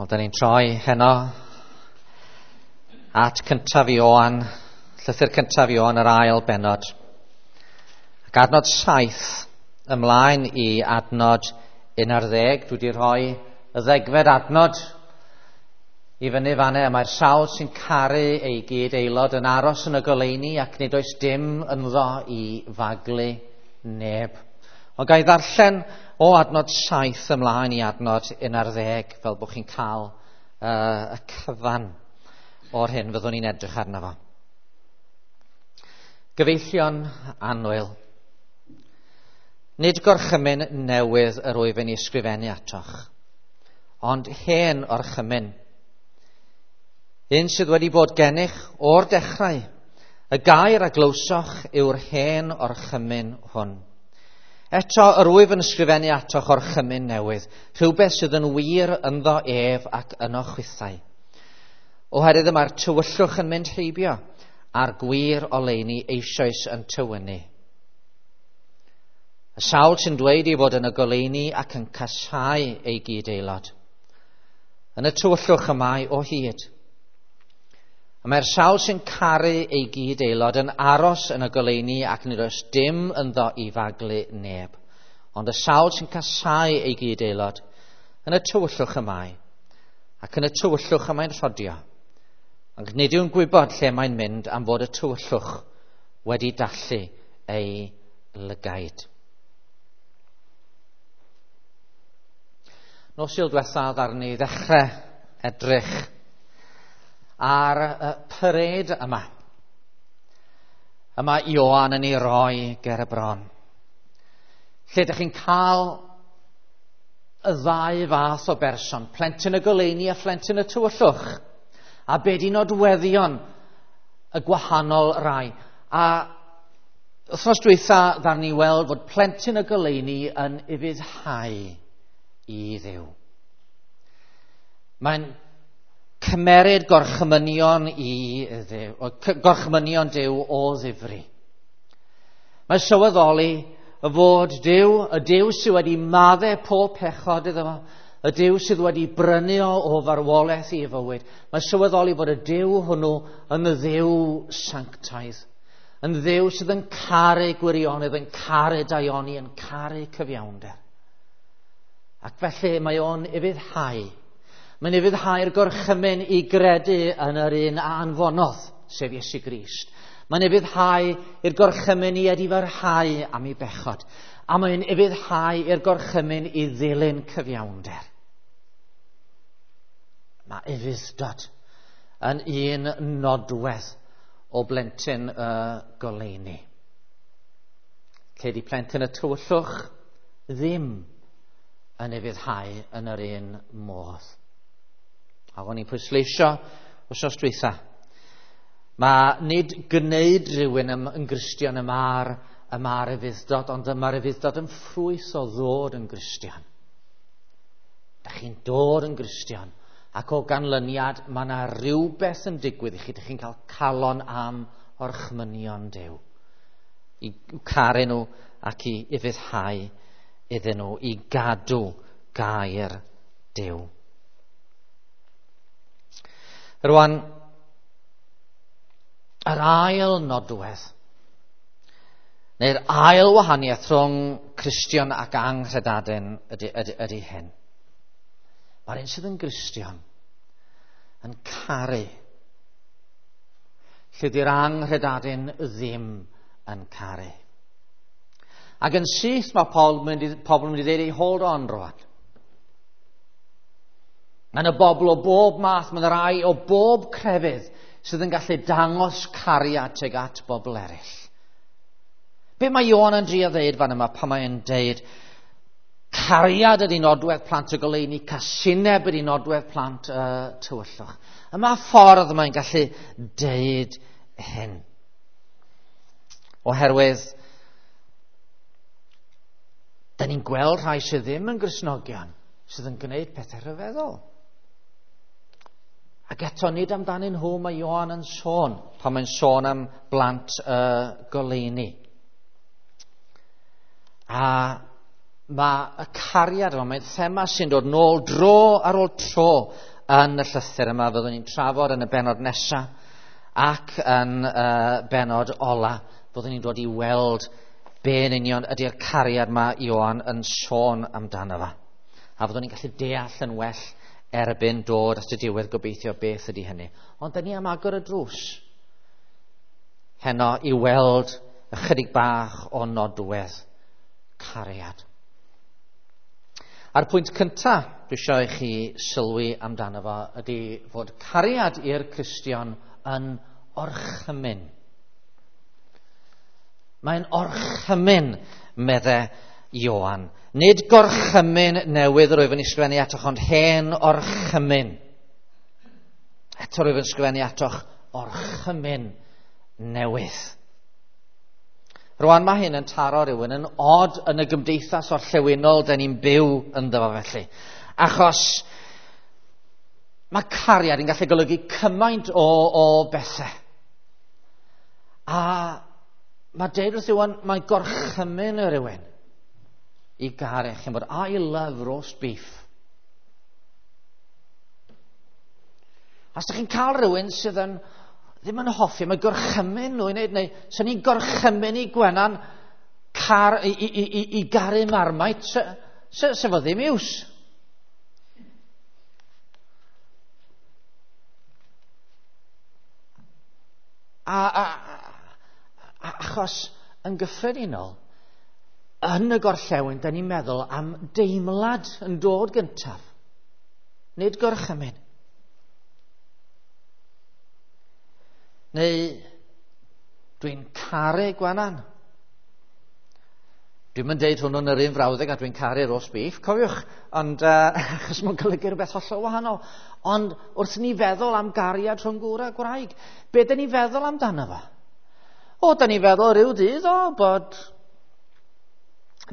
Wel, da ni'n troi heno at cyntaf Ioan, llythyr cyntaf Ioan, yr ail bennod. Ac adnod 7 ymlaen i adnod 11. Dwi wedi rhoi y ddegfed adnod i fyny fanne. Mae'r sawl sy'n caru ei gyd aelod yn aros yn y goleuni ac nid oes dim ynddo i faglu neb. Ond ga i ddarllen o adnod 7 ymlaen i adnod 11 fel bod chi'n cael y cyfan o'r hyn fyddwn ni'n edrych arno fo. Gyfeillion annwyl, nid gorchymyn newydd yr wyf yn ei ysgrifennu atoch, ond hen orchymyn, un sydd wedi bod gennych o'r dechrau. Y gair a glywsoch yw'r hen orchymyn hwn. Eto, yr wyf yn ysgrifennu atoch orchymyn newydd, rhywbeth sydd yn wir ynddo ef ac yno chwithau. Oherwydd y mae'r tywyllwch yn mynd heibio, a'r gwir oleuni eisoes yn tywynnu. Y sawl sy'n dweud ei fod yn y goleuni ac yn casáu ei gyd-aelod, yn y tywyllwch y mae o hyd. A mae'r sawl sy'n caru ei gyd-aelod yn aros yn y goleuni ac nid oes dim ynddo i faglu neb. Ond y sawl sy'n casáu ei gyd-aelod yn y tywyllwch y mae, ac yn y tywyllwch y mae'n rhodio. Ac nid yw'n gwybod lle mae'n mynd am fod y tywyllwch wedi dallu ei lygaid. Nos Sul diwethaf ddaru ni ddechrau edrych ar y parêd yma. Yma Ioan yn ei roi ger y bron. Lle ydych chi'n cael y ddau fath o berson, plentyn y goleuni a phlentyn y tywyllwch, a be di nodweddion y gwahanol rai. A wythnos dwytha ddaru ni weld fod plentyn y goleuni yn ufuddhau i Dduw. Mae'n cymeryd gorchmynion i Dduw, gorchmynion Duw o ddifri. Mae'n sylweddoli fod Duw, y Duw sydd wedi maddau pob pechod iddo fo, y Duw sydd wedi brynu o o farwolaeth i fywyd, mae'n sylweddoli fod y Duw hwnnw yn Dduw sanctaidd, yn Dduw sydd yn caru gwirionedd, yn caru daioni, yn caru cyfiawnder. Ac felly mae o'n ufuddhau. Mae'n ufuddhau'r gorchymyn i gredu yn yr un a anfonodd, sef Iesu Grist. Mae'n ufuddhau i'r gorchymyn i edifarhau am ei bechod. A mae'n ufuddhau i'r gorchymyn i ddilyn cyfiawnder. Mae ufudd-dod yn un nodwedd o blentyn y goleuni. Lle di plentyn y tywyllwch ddim yn ufuddhau yn yr un modd. A o'n i'n pwysleisio wythnos dwytha. Mae nid gwneud rhywun yn Gristion y mae'r ufudd-dod, ond y mae'r ufudd-dod yn ffrwyth o ddod yn Gristion. Dach chi'n dod yn Gristion, ac o ganlyniad mae yna rhywbeth yn digwydd i chi. Dach chi'n cael calon am orchmynion Duw, i caru nhw ac i ufuddhau iddyn nhw, i gadw gair Duw. Rwan, yr ail nodwedd, neu'r ail wahaniaeth rhwng Cristion ac anghredadun ydy hyn. Mae'r un sydd yn Gristion yn caru, lle di'r anghredadun ddim yn caru. Ac yn syth mae pobl yn mynd i ddeud, hold on rwan. Mae yna bobl o bob math, mae yna rai o bob crefydd sydd yn gallu dangos cariad tuag at bobl eraill. Be mae Ioan yn drio ddeud fan yma pan mae'n deud cariad ydy nodwedd plant y goleuni, casineb ydy nodwedd plant y tywyllwch. Yma ffordd mae'n gallu deud hyn. Oherwydd, da ni'n gweld rhai sydd ddim yn Gristnogion sydd yn gwneud pethau rhyfeddol. Ac eto nid amdanyn nhw mae Ioan yn sôn pan mae'n sôn am blant y goleuni. A mae y cariad yma, mae'n thema sy'n dod nôl dro ar ôl tro yn y llythyr yma fyddwn ni'n trafod yn y bennod nesaf ac yn y bennod ola fyddwn ni'n dod i weld be yn union ydy'r cariad mae Ioan yn sôn amdano fo. A fyddwn ni'n gallu deall yn well erbyn dod at y diwedd gobeithio beth ydy hynny. Ond da ni am agor y drws heno i weld ychydig bach o nodwedd cariad. A'r pwynt cyntaf dwi eisiau i chi sylwi amdano fo ydy fod cariad i'r Cristion yn orchymyn. Mae'n orchymyn, medde Ioan. Nid gorchymyn newydd yr wyf yn ysgrifennu atoch, ond hen orchymyn. Eto rwyf yn ysgrifennu atoch orchymyn newydd. Rwan mae hyn yn taro rhywun yn od yn y gymdeithas orllewinol da ni'n byw ynddo fo felly. Achos mae cariad yn gallu golygu cymaint o bethau. A mae deud wrth rhywun, mae gorchymyn y rhywun i garu. Chi'n bod, I love roast beef. Os ydych chi'n cael rhywun sydd yn ddim yn hoffi, mae gorchymyn nhw i wneud, neu sy'n ni'n gorchymyn i Gwenan i garu Marmite, se fo ddim iws. Achos yn gyffredinol, yn y gorllewin, da ni'n meddwl am deimlad yn dod gyntaf, nid gorchymyn. Neu dwi'n caru Gwenan. Dwi'm yn deud hwnnw'n yr un frawddeg a dwi'n caru roast beef, cofiwch, ond achos mae'n golygu rhywbeth hollol wahanol. Ond wrth ni feddwl am gariad rhwng gŵr a gwraig, be da ni feddwl amdano fo? O, da ni feddwl rhyw ddydd o bod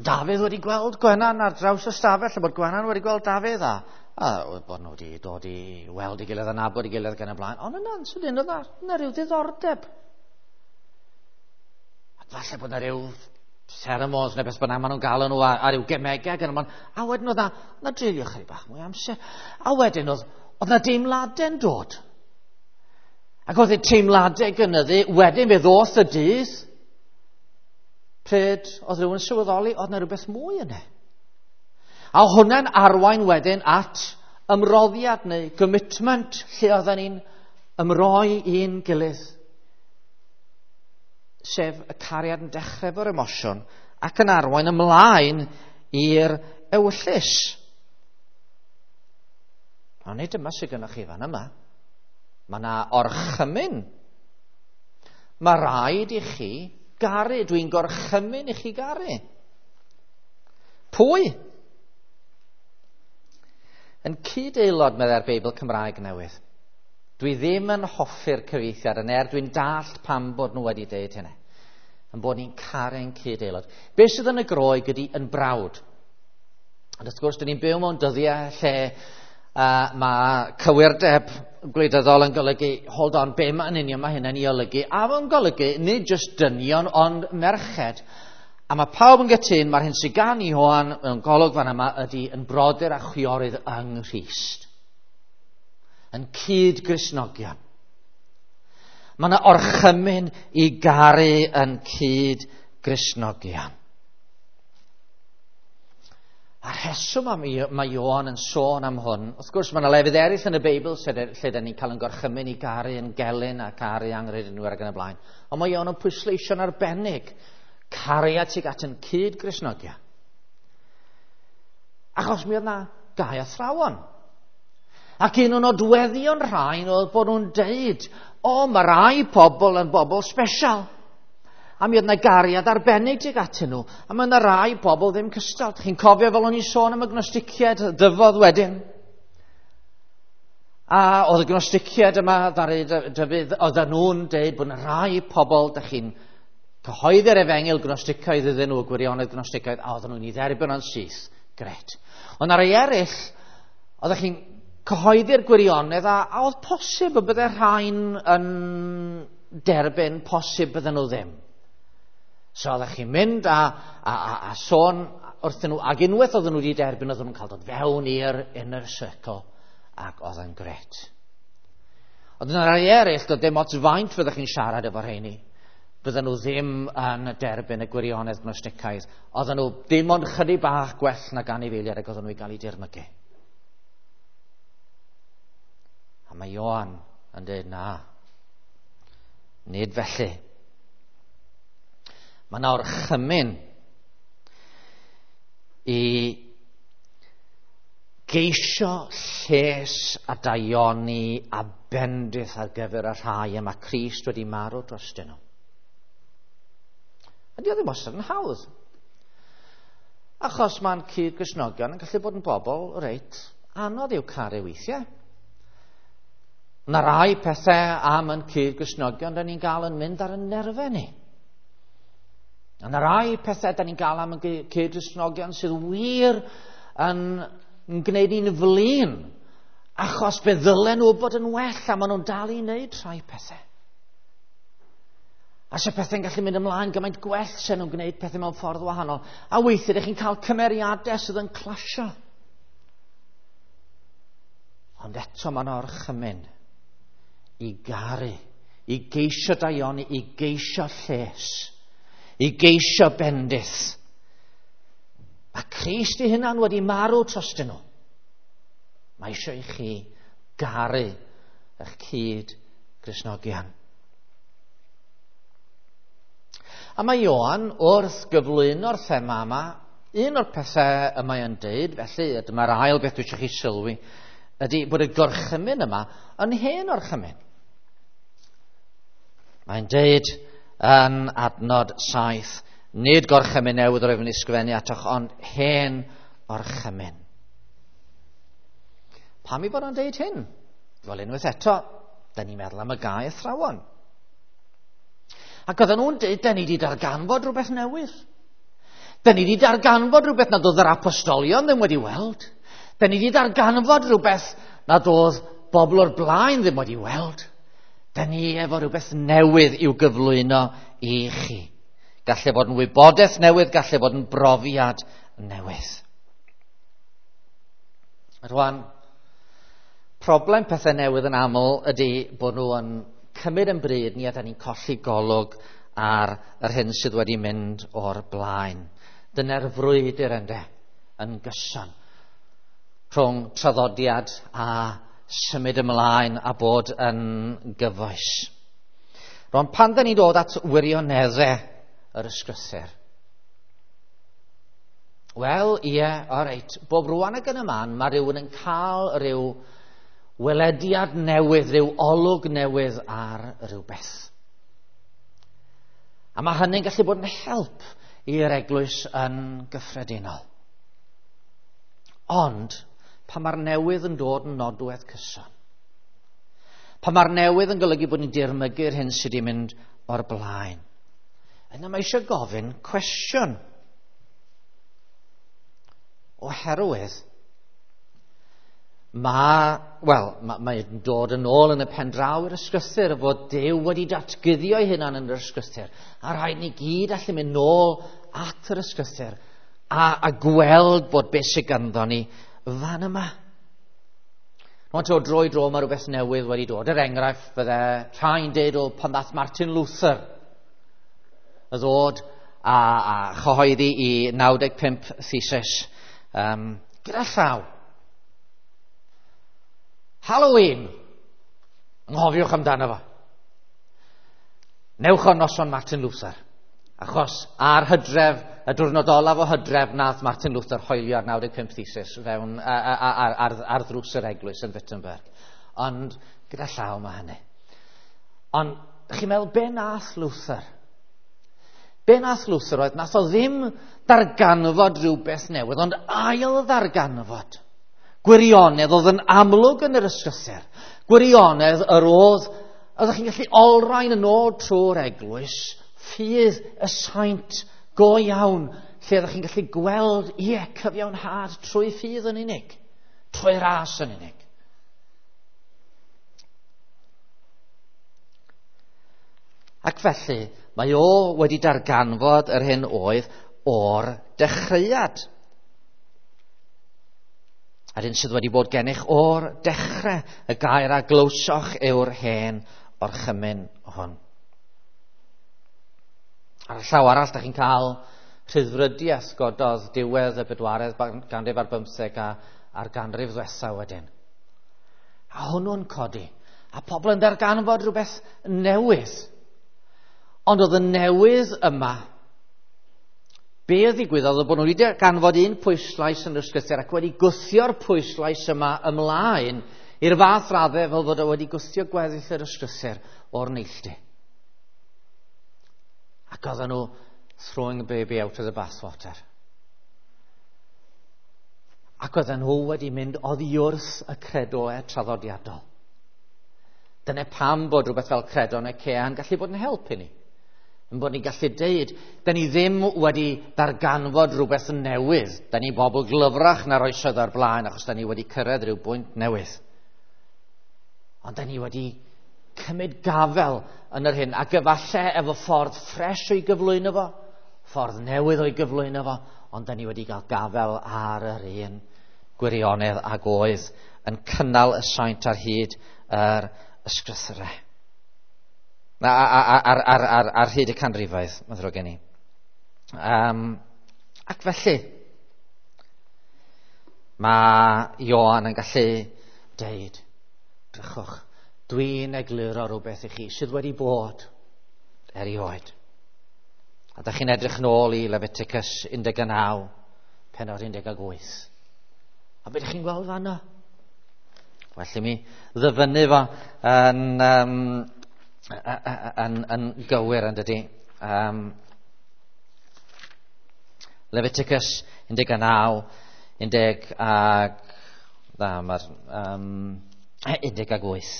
Dafydd wedi gweld Gwenan ar draws y stafell, a bod Gwenan wedi gweld Dafydd, a bod nhw wedi dod i weld ei gilydd a nabod ei gilydd gan y blaen. Ond yna'n sydyn, oedd yna rhyw ddiddordeb. A falle bod yna rhyw pheromones neu beth bynnag maen nhw'n gael nhw a rhyw gemegau gan y blaen. A wedyn oedd yna dreulio chydig bach mwy amser. A wedyn oedd yna deimladau'n dod. Ac oedd y teimladau gynyddu, wedyn fe ddoth y dydd, pryd oedd rhywun sylweddoli, oedd yna rhywbeth mwy yna. A hwnna'n arwain wedyn at ymroddiad neu commitment lle oedden ni'n ymroi i'n gilydd. Sef y cariad yn dechrau efo'r emosiwn ac yn arwain ymlaen i'r ewyllys. Ond nid yma sydd gennych chi fan yma. Mae yna orchymyn. Mae rhaid i chi garu. Dwi'n gorchymyn i chi garu. Pwy? Yn cyd-aelod, meddai'r Beibl Cymraeg newydd. Dwi ddim yn hoffi'r cyfieithiad yn er dwi'n dallt pam bod nhw wedi deud hynny. Yn bod ni'n caru'n cyd-aelod. Be sydd yn y Groeg ydy yn brawd. Ond wrth gwrs, dyn ni'n byw mewn dyddiau lle mae cywirdeb gwleidyddol yn golygu, hold on, be mae'n union mae hynny'n ei olygu? A mae'n golygu nid jyst dynion, ond merched. A mae pawb yn gytûn, mae'r hyn sydd gan Ioan mewn golwg fan yma ydy yn brodyr a chwiorydd yng Nghrist. Yn cyd-Gristnogion. Mae yna orchymyn i garu yn cyd-Gristnogion. A rheswm am mae Ioan yn sôn am hwn, wrth gwrs mae yna lefydd eraill yn y Beibl lle da ni'n cael yn gorchymyn i garu yn gelyn a caru anghredinwyr ac yn y blaen. Ond mae Ioan yn pwysleisio'n arbennig cariad tuag at yn cyd-Gristnogion. Achos mi oedd na gau athrawon. Ac un o'n nodweddion rhain oedd bod nhw'n deud, o, mae rai pobl yn bobl special. A mi oedd na gariad arbennig tuag atyn nhw. A mae yna rai pobl ddim cystal. Chi'n cofio fel o'n i'n sôn am y gnosticiaid dyfodd wedyn? A oedd y gnosticiaid yma, ddaru Dafydd, oedden nhw'n deud bod yna rai pobl, dych chi'n cyhoeddi'r efengyl gnosticaidd iddyn nhw, y gwirionedd gnosticaidd, a oedden nhw'n ei dderbyn o'n syth. Gret. Ond ar ei eraill, oeddech chi'n cyhoeddi'r gwirionedd, a oedd posib y bydde rhain yn derbyn, posib bydden nhw ddim. So oeddech chi'n mynd a sôn wrthyn nhw, ac unwaith oedden nhw wedi derbyn, oedden nhw'n cael dod fewn i'r inner circle Ac oedd yn gret. Ond yna rai eraill, doedd dim ots faint fyddech chi'n siarad efo rheini. Bydden nhw ddim yn derbyn y gwirionedd gnosticaidd. Oedden nhw dim ond chydig bach gwell nag anifeiliaid ac oedden nhw i gael eu dirmygu. A mae Ioan yn dweud na. Nid felly. Mae yna orchymyn i geisio lles a daioni a bendith ar gyfer y rhai y mae Crist wedi marw drostyn nhw. A di o ddim wastad yn hawdd. Achos mae'n cyd-Gristnogion yn gallu bod yn bobl reit anodd i'w caru weithiau. Mae rai pethau am yn cyd-Gristnogion da ni'n gael yn mynd ar y nerfau ni. A yna rai pethau da ni'n gael am y cyd-Gristnogion sydd wir yn gwneud ni'n flin, achos fe ddylen nhw bod yn well a maen nhw'n dal i wneud rhai pethau. A se pethau'n gallu mynd ymlaen gymaint gwell se nhw'n gwneud pethau mewn ffordd wahanol. A weithiau ydych chi'n cael cymeriadau sydd yn clasio. Ond eto mae'n orchymyn i garu, i geisio daioni, i geisio lles, i geisio bendith. Mae Crist ei hunan wedi marw trostyn nhw. Mae eisiau i chi garu eich cyd Gristnogion. A mae Ioan wrth gyflwyno'r thema yma, un o'r pethau y mae o'n deud, felly, a dyma'r ail beth dwi eisiau chi sylwi, ydy bod y gorchymyn yma yn hen orchymyn. Mae'n deud yn adnod 7, nid gorchymyn newydd yr oeddwn yn ysgrifennu atoch, ond hen orchymyn. Pam i fod o'n deud hyn? Wel, unwaith eto, da ni'n meddwl am y gau athrawon. Ac oedden nhw'n dweud, da ni wedi darganfod rhywbeth newydd. Da ni wedi darganfod rhywbeth nad oedd yr apostolion ddim wedi weld. Da ni wedi darganfod rhywbeth nad oedd bobl o'r blaen ddim wedi weld. Da ni efo rhywbeth newydd i'w gyflwyno i chi. Gallai fod yn wybodaeth newydd, gallai fod yn brofiad newydd. Rwan, problem pethau newydd yn aml ydy bod nhw yn cymryd yn bryd ni a da ni'n colli golwg ar yr hyn sydd wedi mynd o'r blaen. Dyna'r frwydr ynde, yn gyson, rhwng traddodiad a symud ymlaen a bod yn gyfoes. Rwan, pan da ni'n dod at wirioneddau yr ysgrythur, wel, ie, o reit, bob rwan ac yn y man, mae rhywun yn cael rhyw welediad newydd, rhyw olwg newydd ar rhywbeth. A mae hynny'n gallu bod yn help i'r eglwys yn gyffredinol. Ond, pan mae'r newydd yn dod yn nodwedd cyson, pan mae'r newydd yn golygu bod ni'n dirmygu'r hyn sydd wedi mynd o'r blaen, yna mae eisiau gofyn cwestiwn. Oherwydd, mae'n dod yn ôl yn y pen draw i'r ysgrythur fod Duw wedi datguddio ei hunan yn yr ysgrythur. A rhaid ni gyd allu mynd nôl at yr ysgrythur a gweld bod beth sydd ganddo ni fan yma. Rwan to, dro i dro mae rhywbeth newydd wedi dod. Er enghraifft, fydde rhai'n deud o pan ddath Martin Luther y ddod a chyhoeddi i 95 thesis gyda llaw. Halloween! Anghofiwch amdano fo. Newch o noson Martin Luther. Achos ar hydref, y diwrnod olaf o hydref, nath Martin Luther hoelio ar 95 thesis fewn ar ddrws yr eglwys yn Wittenberg. Ond gyda llaw mae hynny. Ond chi'n meddwl, be nath Luther? Be nath Luther oedd, nath o ddim darganfod rhywbeth newydd, ond ail ddarganfod. Gwirionedd oedd yn amlwg yn yr ysgrythur. Gwirionedd yr oedd, oeddech chi'n gallu olrhain yn ôl trwy'r eglwys, ffydd y saint go iawn, lle oeddech chi'n gallu gweld, ie, cyfiawnhad trwy ffydd yn unig, trwy ras yn unig. Ac felly, mae o wedi darganfod yr hyn oedd o'r dechreuad. A'r un sydd wedi bod gennych o'r dechrau, y gair a glywsoch yw'r hen orchymyn hwn. Ar y llaw arall, da chi'n cael rhyddfrydiaeth gododd diwedd y bedwaredd ganrif ar bymtheg a a'r ganrif ddwetha wedyn. A hwnnw'n codi. A pobl yn darganfod rhywbeth newydd. Ond oedd y newydd yma, be ddigwyddodd oedd bod nhw wedi darganfod un pwyslais yn yr ysgrythur ac wedi gwthio'r pwyslais yma ymlaen i'r fath raddau fel fod o wedi gwthio gweddill yr ysgrythur o'r neilltu. Ac oedden nhw throwing the baby out of the bathwater. Ac oedden nhw wedi mynd oddi wrth y credoau traddodiadol. Dyna pam bod rhywbeth fel credo Nicea yn gallu bod yn help i ni. Yn bod ni'n gallu deud, da ni ddim wedi darganfod rhywbeth newydd. Da ni bobl glyfrach na'r oesoedd o'r blaen, achos da ni wedi cyrraedd rhyw bwynt newydd. Ond da ni wedi cymryd gafel yn yr hyn, ac efallai efo ffordd ffres o'i gyflwyno fo, ffordd newydd o'i gyflwyno fo, ond da ni wedi cael gafel ar yr un gwirionedd ag oedd yn cynnal y saint ar hyd yr ysgrythurau. Ar hyd y canrifoedd, mae'n ddrwg gen i. Ac felly, mae Ioan yn gallu deud, drychwch, dwi'n egluro rhywbeth i chi sydd wedi bod erioed. A da chi'n edrych nôl i Leviticus 19, pennod 18. A beth ydych chi'n gweld fanno? Well i mi ddyfynnu fo yn gywir yn dydy. Leviticus 19, 18.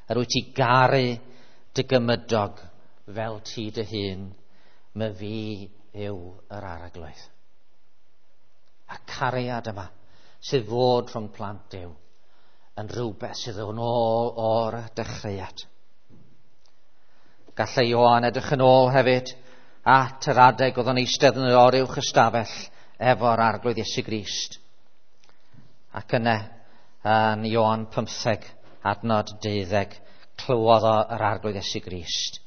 Yr wyt ti garu dy gymydog fel ti dy hun, my fi yw yr arglwydd. A'r cariad yma sydd fod rhwng plant Duw yn rhywbeth sydd yn ôl o'r dechreuad. Gallai Ioan edrych yn ôl hefyd at yr adeg oedd o'n eistedd yn yr oruwch ystafell efo'r arglwydd Iesu Grist. Ac yna, yn Ioan 15, adnod 12, clywodd o yr arglwydd Iesu Grist.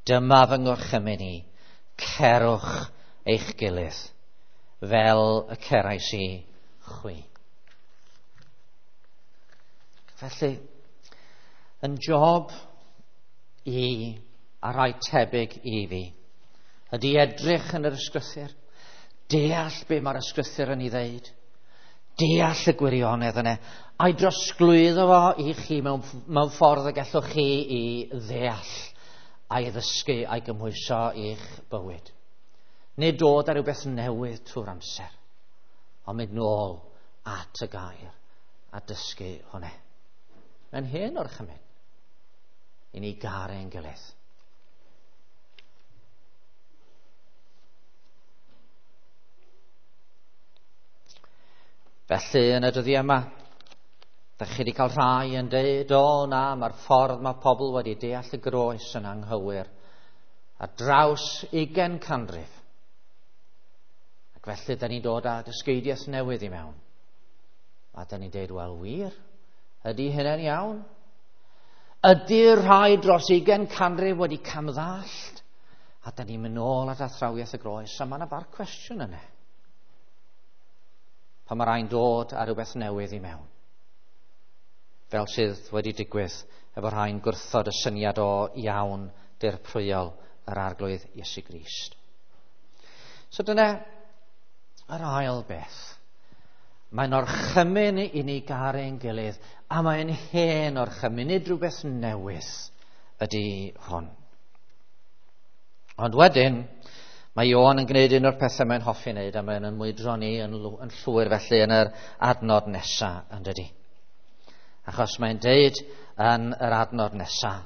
Dyma fy ngorchymyn i, cerwch eich gilydd, fel y cerais i chwi. Felly, yn job i a rhai tebyg i fi, ydy edrych yn yr ysgrythur, deall be mae'r ysgrythur yn ei ddeud, deall y gwirionedd yna, a'i drosglwyddo fo i chi mewn ffordd y gallwch chi i ddeall a'i ddysgu a'i gymhwyso i'ch bywyd. Nid dod ar rhywbeth newydd trwy'r amser, ond mynd nôl at y gair a dysgu hwnna. Mae'n hen orchymyn i ni garu ein gilydd. Felly yn y dyddiau yma, da chi wedi cael rhai yn deud, o na, mae'r ffordd mae pobl wedi deall y groes yn anghywir ar draws 20 canrif. Ac felly da ni'n dod â dysgeidiaeth newydd i mewn. A da ni'n deud, wel wir, ydy hynny'n iawn? Ydy'r rhai dros 20 canrif wedi camddallt? A da ni'n mynd nôl at athrawiaeth y groes, a mae yna bar cwestiwn yna. Pan mae rhai'n dod â rhywbeth newydd i mewn. Fel sydd wedi digwydd efo rhai'n gwrthod y syniad o iawn dirprwyol yr arglwydd Iesu Grist. So dyna yr ail beth. Mae'n orchymyn i ni garu ein gilydd, a mae'n hen orchymyn, nid rhywbeth newydd ydy hwn. Ond wedyn, mae Ioan yn gwneud un o'r pethau mae'n hoffi wneud, a mae'n ymwydro ni yn llwyr felly yn yr adnod nesaf, yn dydy. Achos mae'n deud yn yr adnod nesaf,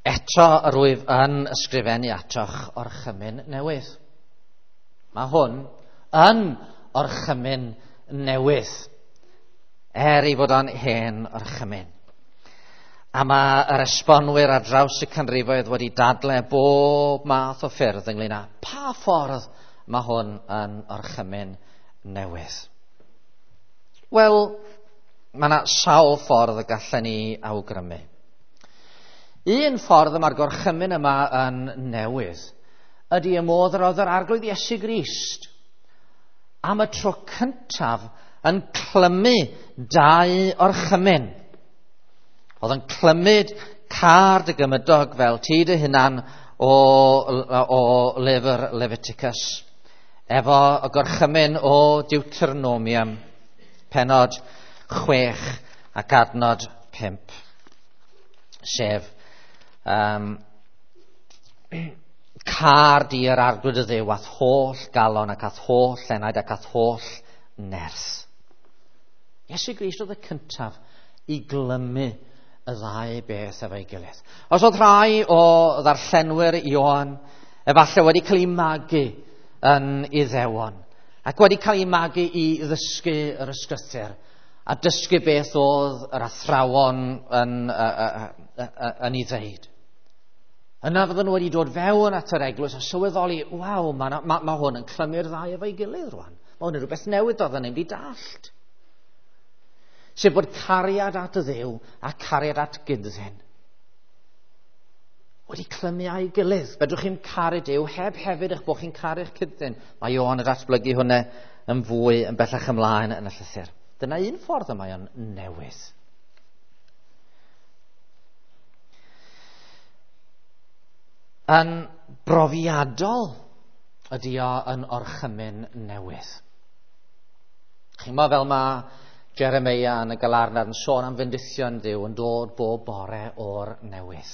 eto yr wyf yn ysgrifennu atoch orchymyn newydd. Mae hwn yn orchymyn newydd, er ei fod o'n hen orchymyn. A mae yr esbonwyr ar draws y canrifoedd wedi dadle bob math o ffyrdd ynglyn â pa ffordd mae hwn yn orchymyn newydd. Wel, mae yna sawl ffordd y gallen ni awgrymu. Un ffordd y mae'r gorchymyn yma yn newydd ydy y modd yr oedd yr Arglwydd Iesu Grist am y tro cyntaf yn clymu dau orchymyn. Oedd yn clymyd car dy gymydog fel ti dy hunan o lyfr Leviticus, efo y gorchymyn o Deuteronomium, penod 6 ac adnod 5, sef car di yr Arglwydd y Dduw a'th holl galon ac a'th holl enaid ac a'th holl nerth. Iesu Grist oedd y cyntaf i glymu y ddau beth efo'i gilydd. Os oedd rhai o ddarllenwyr Ioan efallai wedi cael eu magu yn Iddewon ac wedi cael eu magu i ddysgu yr ysgrythur a dysgu beth oedd yr athrawon yn ei ddeud. Yna fydden nhw wedi dod fewn at yr eglwys a sylweddoli, waw, mae hwn yn clymu'r ddau efo'i gilydd rwan. Mae hwn yn rhywbeth newydd doedden ni'n wedi dallt. Sef bod cariad at y Dduw a cariad at gyddyn wedi clymu â'i gilydd. Fedrwch chi'n caru Duw heb hefyd eich bod chi'n caru'ch cyddyn. Mae Ioan yn datblygu hwnna yn fwy yn bellach ymlaen yn y llythyr. Dyna un ffordd y mae o'n newydd. Yn brofiadol ydy o yn orchymyn newydd. Chi'n meddwl fel mae Jeremia yn y Galarnad yn sôn am fendithion Dduw yn dod bob bore o'r newydd.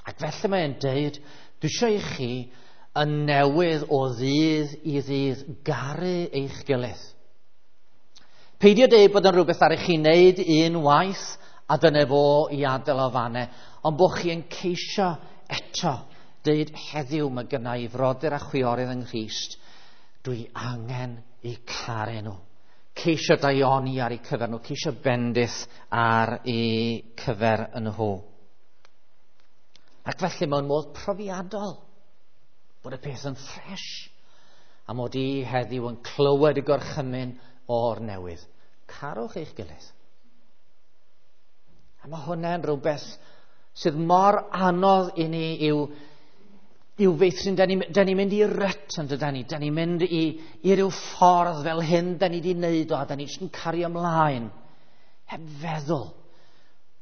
Ac felly mae'n deud, dwi eisiau i chi yn newydd o ddydd i ddydd garu eich gilydd. Peidio deud bod yn rhywbeth ar i chi wneud un waith a dyna fo i adael o fanne, ond bod chi yn ceisio eto deud heddiw mae gynna i frodyr a chwiorydd yng Nghrist, dwi angen eu caru nhw. Ceisio daioni ar eu cyfer nhw, ceisio bendith ar eu cyfer nhw. Ac felly mewn modd profiadol, bod y peth yn ffres, a mod i heddiw yn clywed y gorchymyn o'r newydd. Carwch eich gilydd. A mae hwnna'n rhywbeth sydd mor anodd i ni i'w feithrin. Da ni'n mynd i ryt yn dydan ni. Da ni'n mynd i ryw ffordd fel hyn da ni wedi wneud o, a da ni jyst yn cario ymlaen. Heb feddwl,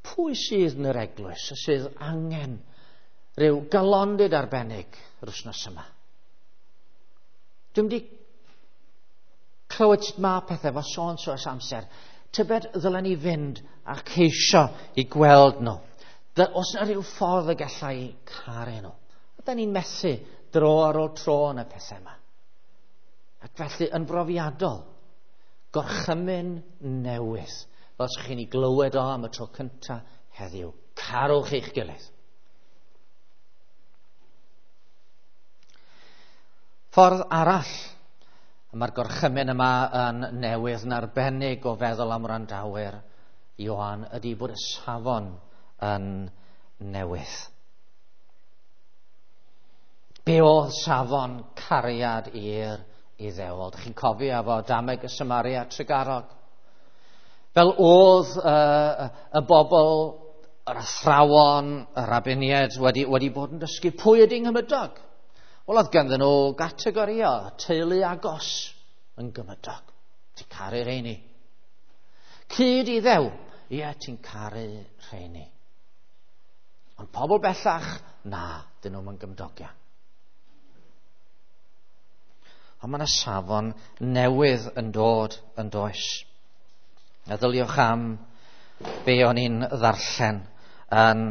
pwy sydd yn yr eglwys sydd angen rhyw galondid arbennig yr wythnos yma? Dwi'n wedi clywed sut mae pethau efo so ers amser. Tybed ddylen ni fynd a ceisio i gweld nhw. Os yna rhyw ffordd y gallai caru nhw. Da ni'n methu dro ar ôl tro yn y pethau yma. Ac felly yn brofiadol, gorchymyn newydd, fel ydych chi'n ei glywed o am y tro cyntaf heddiw. Carwch eich gilydd. Ffordd arall, mae'r gorchymyn yma yn newydd yn arbennig o feddwl am wrandawyr Ioan, ydy bod y safon yn newydd. Be oedd safon cariad i'r Iddewol? Dych chi'n cofio efo Dameg y Samaria Tregarog? Fel oedd y bobl, yr athrawon, y rabiniaid wedi bod yn dysgu pwy ydy nghymydog? Wel, oedd ganddyn nhw gategoria, teulu agos yn gymydog. Ti'n caru rheini. Cyd Iddew, ie, ti'n caru rheini. Ond pobl bellach, na, dyn nhw'm yn gymdogion. Ond mae yna safon newydd yn dod yn does. Meddyliwch am be o'n i'n ddarllen yn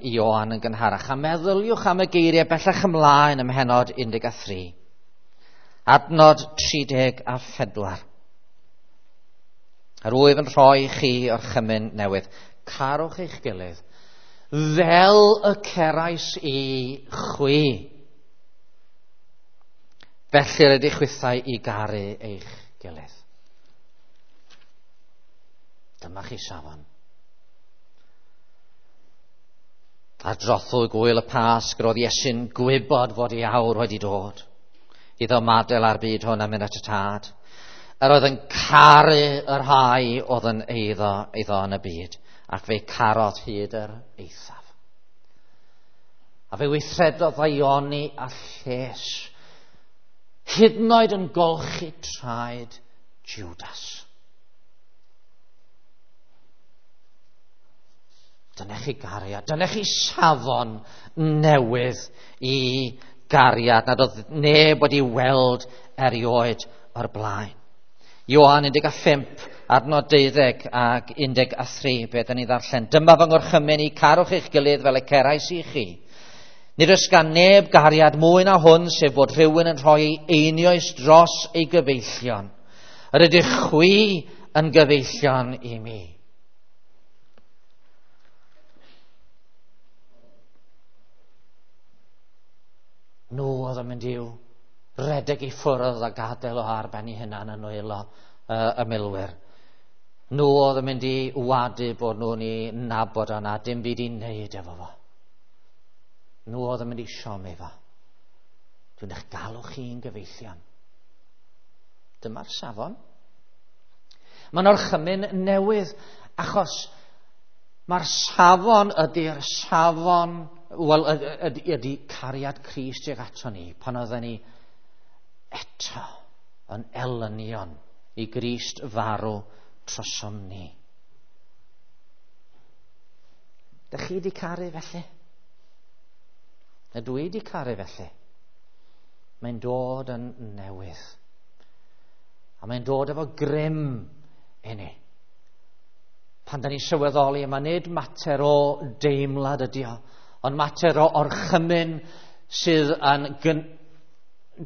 Ioan yn gynharach. A meddyliwch am y geiriau bellach ymlaen ym mhennod 13. Adnod 34. Yr wyf yn rhoi chi orchymyn newydd. Carwch eich gilydd fel y cerais i chwi. Felly rydych chwithau i garu eich gilydd. Dyma chi safon. Ar drothwy gwyl y Pasg, roedd Iesu'n gwybod fod ei awr wedi dod iddo ymadael â'r byd hwn a mynd at y Tad. Yr oedd yn caru y rhai oedd yn eiddo iddo yn y byd, ac fe carodd hyd yr eithaf. A fe weithredodd ddaioni a lles, hyd yn oed yn golchi traed Judas. Dyna chi gariad, dyna chi safon newydd i gariad nad oedd neb wedi weld erioed o'r blaen. Ioan 15, adnod 12 ac 13, beth ni ddarllen. Dyma fy ngorchymyn i, carwch eich gilydd fel y cerais i chi. Nid oes gan neb gariad mwy na hwn, sef bod rhywun yn rhoi ei einioes dros ei gyfeillion. Yr ydych chwi yn gyfeillion i mi. Nhw oedd yn mynd i'w redeg i ffwrdd a gadael o ar ben ei hunan yn nwylo y milwyr. Nhw oedd yn mynd i wadu bod nhw'n ei nabod o na dim byd i wneud efo fo. Nhw oedd yn mynd i siomi fo. Dwi'n eich galw chi'n gyfeillion. Dyma'r safon. Mae'n orchymyn newydd achos mae'r safon ydy'r safon, wel, ydy cariad Crist tuag ato ni pan oedden ni eto yn elynion i Grist farw trosom ni. Dych chi wedi caru felly? Ydw i wedi caru felly? Mae'n dod yn newydd. A mae'n dod efo grym i ni. Pan da ni'n sylweddoli, yma nid mater o deimlad ydi o, ond mater o orchymyn sydd yn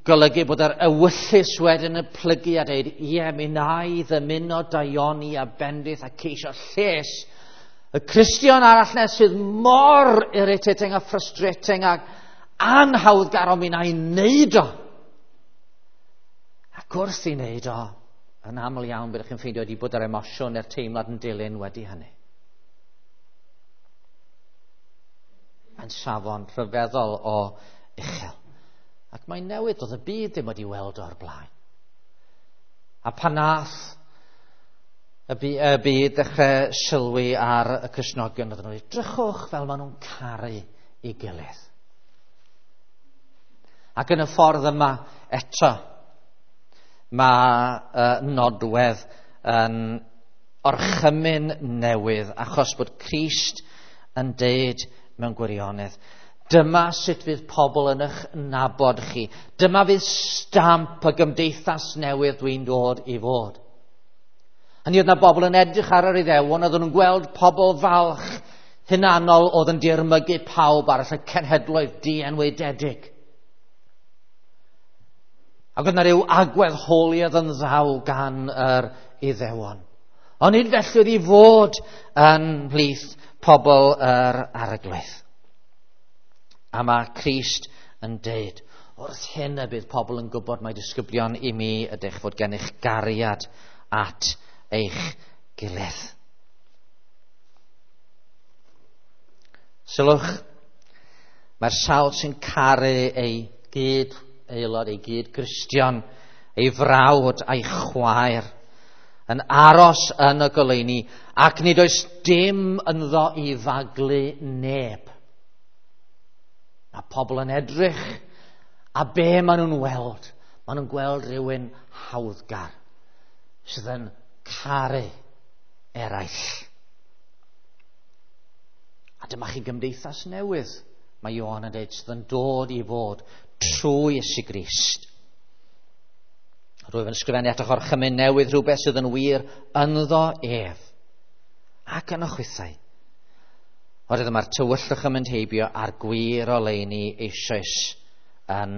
golygu bod yr ewyllys wedyn yn plygu a dweud, ie, mi na i ddymuno daioni a bendith a ceisio lles y Cristion arall na sydd mor irritating a frustrating ac anhawddgar, ond mi na i wneud o. Ac wrth i wneud o, yn aml iawn byddwch chi'n ffeindio wedi bod yr emosiwn neu'r teimlad yn dilyn wedi hynny. Mae'n safon rhyfeddol o uchel. Ac mae'n newid, oedd y byd ddim wedi weld o'r blaen. A pan nath y byd ddechrau sylwi ar y Cristnogion, oedden nhw wedi drychwch fel maen nhw'n caru ei gilydd. Ac yn y ffordd yma eto, mae nodwedd yn orchymyn newydd achos bod Crist yn deud mewn gwirionedd, dyma sut fydd pobl yn eich nabod chi. Dyma fydd stamp y gymdeithas newydd dwi'n dod i fod. Hynny oedd na bobl yn edrych ar yr Iddewon, oedden nhw'n gweld pobl falch hunanol oedd yn dirmygu pawb arall, y cenhedloedd dienwededig. Ac oedd na ryw agwedd holiad yn ddaw gan yr Iddewon. Ond nid felly oedd i fod yn mhlith pobl yr Arglwydd. A mae Crist yn deud, wrth hyn y bydd pobl yn gwybod mai disgyblion i mi ydych, fod gennych gariad at eich gilydd. Sylwch, mae'r sawl sy'n caru ei gyd aelod, ei gyd Gristion, ei frawd a'i chwaer, yn aros yn y goleuni, ac nid oes dim ynddo i faglu neb. Mae pobl yn edrych, a be maen nhw'n weld? Maen nhw'n gweld rhywun hawddgar sydd yn caru eraill. A dyma chi gymdeithas newydd, mae Ioan yn dweud, sydd yn dod i fod trwy Iesu Grist. Rwyf yn ysgrifennu atoch orchymyn newydd, rhywbeth sydd yn wir ynddo ef ac yn y chwithau. Oherwydd mae'r tywyllwch yn mynd heibio a'r gwir oleuni eisoes yn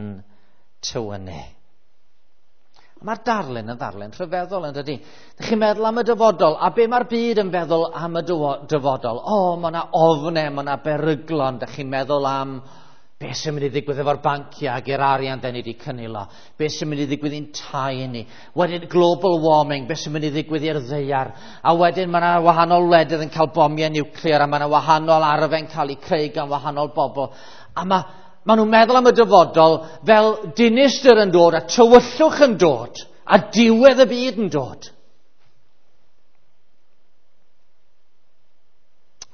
tywynnu. Mae'r darlun yn ddarlun rhyfeddol yn dydy. Dych chi'n meddwl am y dyfodol, a be mae'r byd yn feddwl am y dyfodol? O, mae yna ofnau, mae yna beryglon. Dych chi'n meddwl am beth sy'n mynd i ddigwydd efo'r banciau ac i'r arian da ni wedi cynilo, beth sy'n mynd i ddigwydd i'n tai ni, wedyn global warming, beth sy'n mynd i ddigwydd i'r ddaear, a wedyn mae yna wahanol wledydd yn cael bomiau niwclear, a mae yna wahanol arfau'n cael eu creu gan wahanol bobl. A mae nhw'n meddwl am y dyfodol fel dinistr yn dod a tywyllwch yn dod. a diwedd y byd yn dod.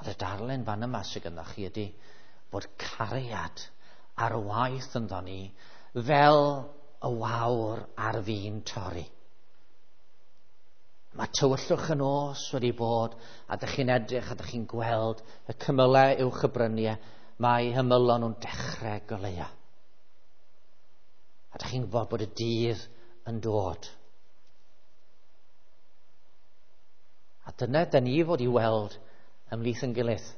Ond y darlun fan yma sydd gynnoch chi ydy bod cariad ar waith ynddo ni fel y wawr ar fin torri. Mae tywyllwch y nos wedi bod, a dych chi'n edrych a dych chi'n gweld y cymylau uwch y bryniau, mae hymylon nhw'n dechrau goleuo. A dych chi'n gwybod bod y dydd yn dod. A dyna dyn ni fod i weld ymhlith yn gilydd.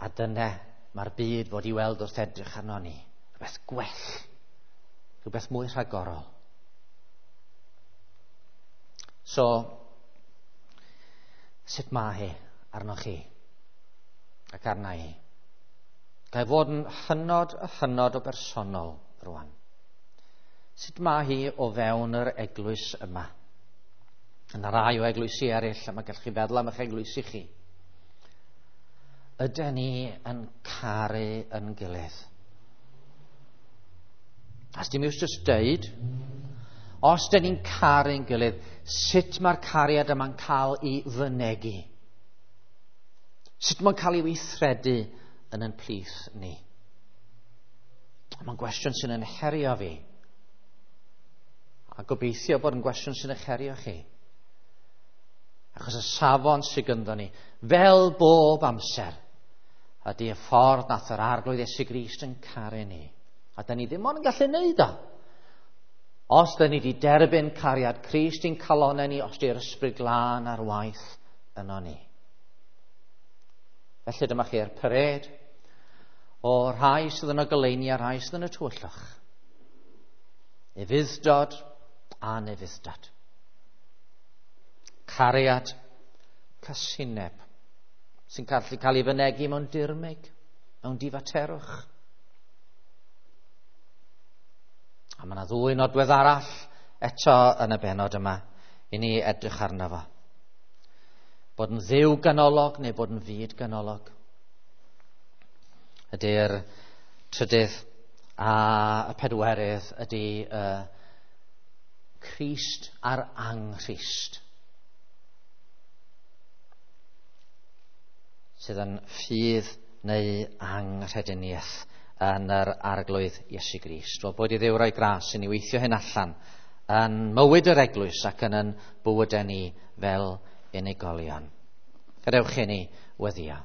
A dyna mae'r byd fod i weld wrth edrych arno ni. Rhywbeth gwell. Rhywbeth mwy rhagorol. So, sut mae hi arnoch chi ac arna i? Ga i fod yn hynod a hynod o bersonol rwan. Sut mae hi o fewn yr eglwys yma? Yna rai o eglwysi eraill, a mae gallwch chi feddwl am eich eglwysi chi. Ydyn ni yn caru yn gilydd? A dim iws jyst deud, os dyn ni'n caru'n gilydd, sut mae'r cariad yma'n cael ei fynegi? Sut mae'n cael ei weithredu yn ein plith ni? Mae'n gwestiwn sy'n yn herio fi. A gobeithio bod yn gwestiwn sy'n eich herio chi. Achos y safon sydd gynddo ni, fel bob amser, ydy y ffordd nath yr Arglwydd Iesu Grist yn caru ni. A da ni ddim ond yn gallu neud o. Os da ni wedi derbyn cariad Crist i'n calonau ni, os di'r Ysbryd Glân ar waith yno ni. Felly dyma chi'r parêd o rhai sydd yn y goleuni a rhai sydd yn y tywyllwch. Ufudd-dod a anufudd-dod. Cariad, casineb, sy'n gallu cael ei fynegi mewn dirmyg, mewn difaterwch. A mae yna ddwy nodwedd arall eto yn y bennod yma i ni edrych arno fo. Bod yn Dduw ganolog neu bod yn fyd ganolog. Ydy'r trydydd a y pedwerydd ydy Crist a'r Anghrist. Sydd yn ffydd neu anghrediniaeth yn yr Arglwydd Iesu Grist. Wel, boed i Dduw roi gras i ni weithio hyn allan yn mywyd yr eglwys ac yn yn bywydau ni fel unigolion. Gadewch i ni weddïo.